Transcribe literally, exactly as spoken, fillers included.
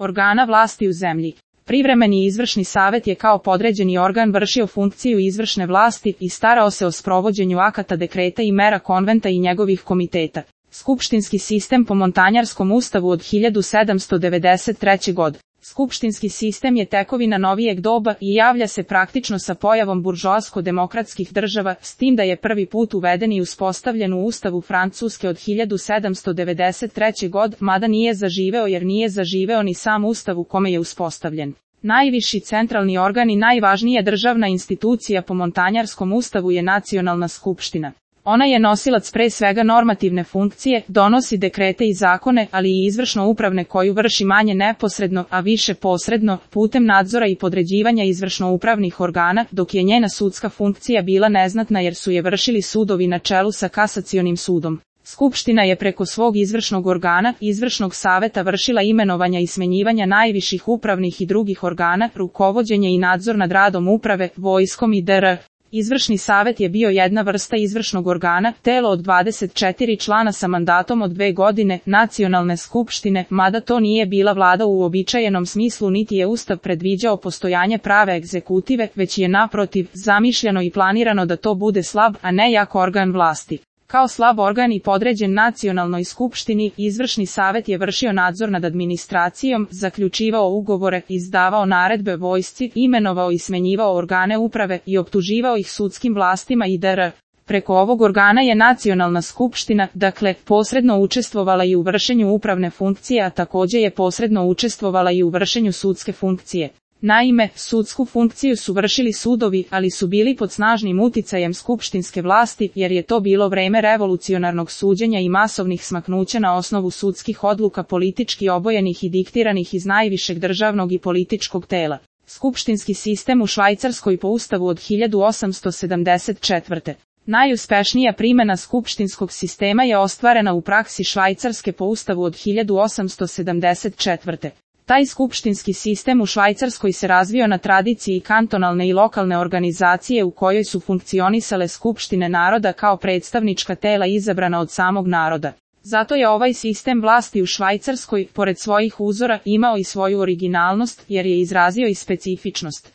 organa vlasti u zemlji. Privremeni izvršni savet je kao podređeni organ vršio funkciju izvršne vlasti i starao se o sprovođenju akata, dekreta i mera konventa i njegovih komiteta. Skupštinski sistem po Montanjarskom ustavu od hiljadu sedamsto devedeset treće. godine. Skupštinski sistem je tekovina novijeg doba i javlja se praktično sa pojavom buržoasko-demokratskih država, s tim da je prvi put uveden i uspostavljen u ustavu Francuske od hiljadu sedamsto devedeset treće. godine, mada nije zaživeo jer nije zaživeo ni sam ustav u kome je uspostavljen. Najviši centralni organ i najvažnija državna institucija po Montanjarskom ustavu je Nacionalna skupština. Ona je nosilac pre svega normativne funkcije, donosi dekrete i zakone, ali i izvršno-upravne koju vrši manje neposredno, a više posredno, putem nadzora i podređivanja izvršno-upravnih organa, dok je njena sudska funkcija bila neznatna jer su je vršili sudovi na čelu sa kasacionim sudom. Skupština je preko svog izvršnog organa, izvršnog saveta vršila imenovanja i smenjivanja najviših upravnih i drugih organa, rukovođenje i nadzor nad radom uprave, vojskom i dr. Izvršni savet je bio jedna vrsta izvršnog organa, telo od dvadeset četiri člana sa mandatom od dve godine, nacionalne skupštine, mada to nije bila vlada u uobičajenom smislu niti je ustav predviđao postojanje prave egzekutive, već je naprotiv zamišljeno i planirano da to bude slab, a ne jak organ vlasti. Kao slab organ i podređen nacionalnoj skupštini, izvršni savet je vršio nadzor nad administracijom, zaključivao ugovore, izdavao naredbe vojsci, imenovao i smenjivao organe uprave i optuživao ih sudskim vlastima i dr. Preko ovog organa je Nacionalna skupština, dakle, posredno učestvovala i u vršenju upravne funkcije, a takođe je posredno učestvovala i u vršenju sudske funkcije. Naime, sudsku funkciju su vršili sudovi, ali su bili pod snažnim uticajem skupštinske vlasti, jer je to bilo vreme revolucionarnog suđenja i masovnih smaknuća na osnovu sudskih odluka politički obojenih i diktiranih iz najvišeg državnog i političkog tela. Skupštinski sistem u Švajcarskoj po ustavu od hiljadu osamsto sedamdeset četvrte. Najuspešnija primjena skupštinskog sistema je ostvarena u praksi Švajcarske po ustavu od hiljadu osamsto sedamdeset četvrte. Taj skupštinski sistem u Švajcarskoj se razvio na tradiciji kantonalne i lokalne organizacije u kojoj su funkcionisale skupštine naroda kao predstavnička tela izabrana od samog naroda. Zato je ovaj sistem vlasti u Švajcarskoj, pored svojih uzora, imao i svoju originalnost, jer je izrazio i specifičnost.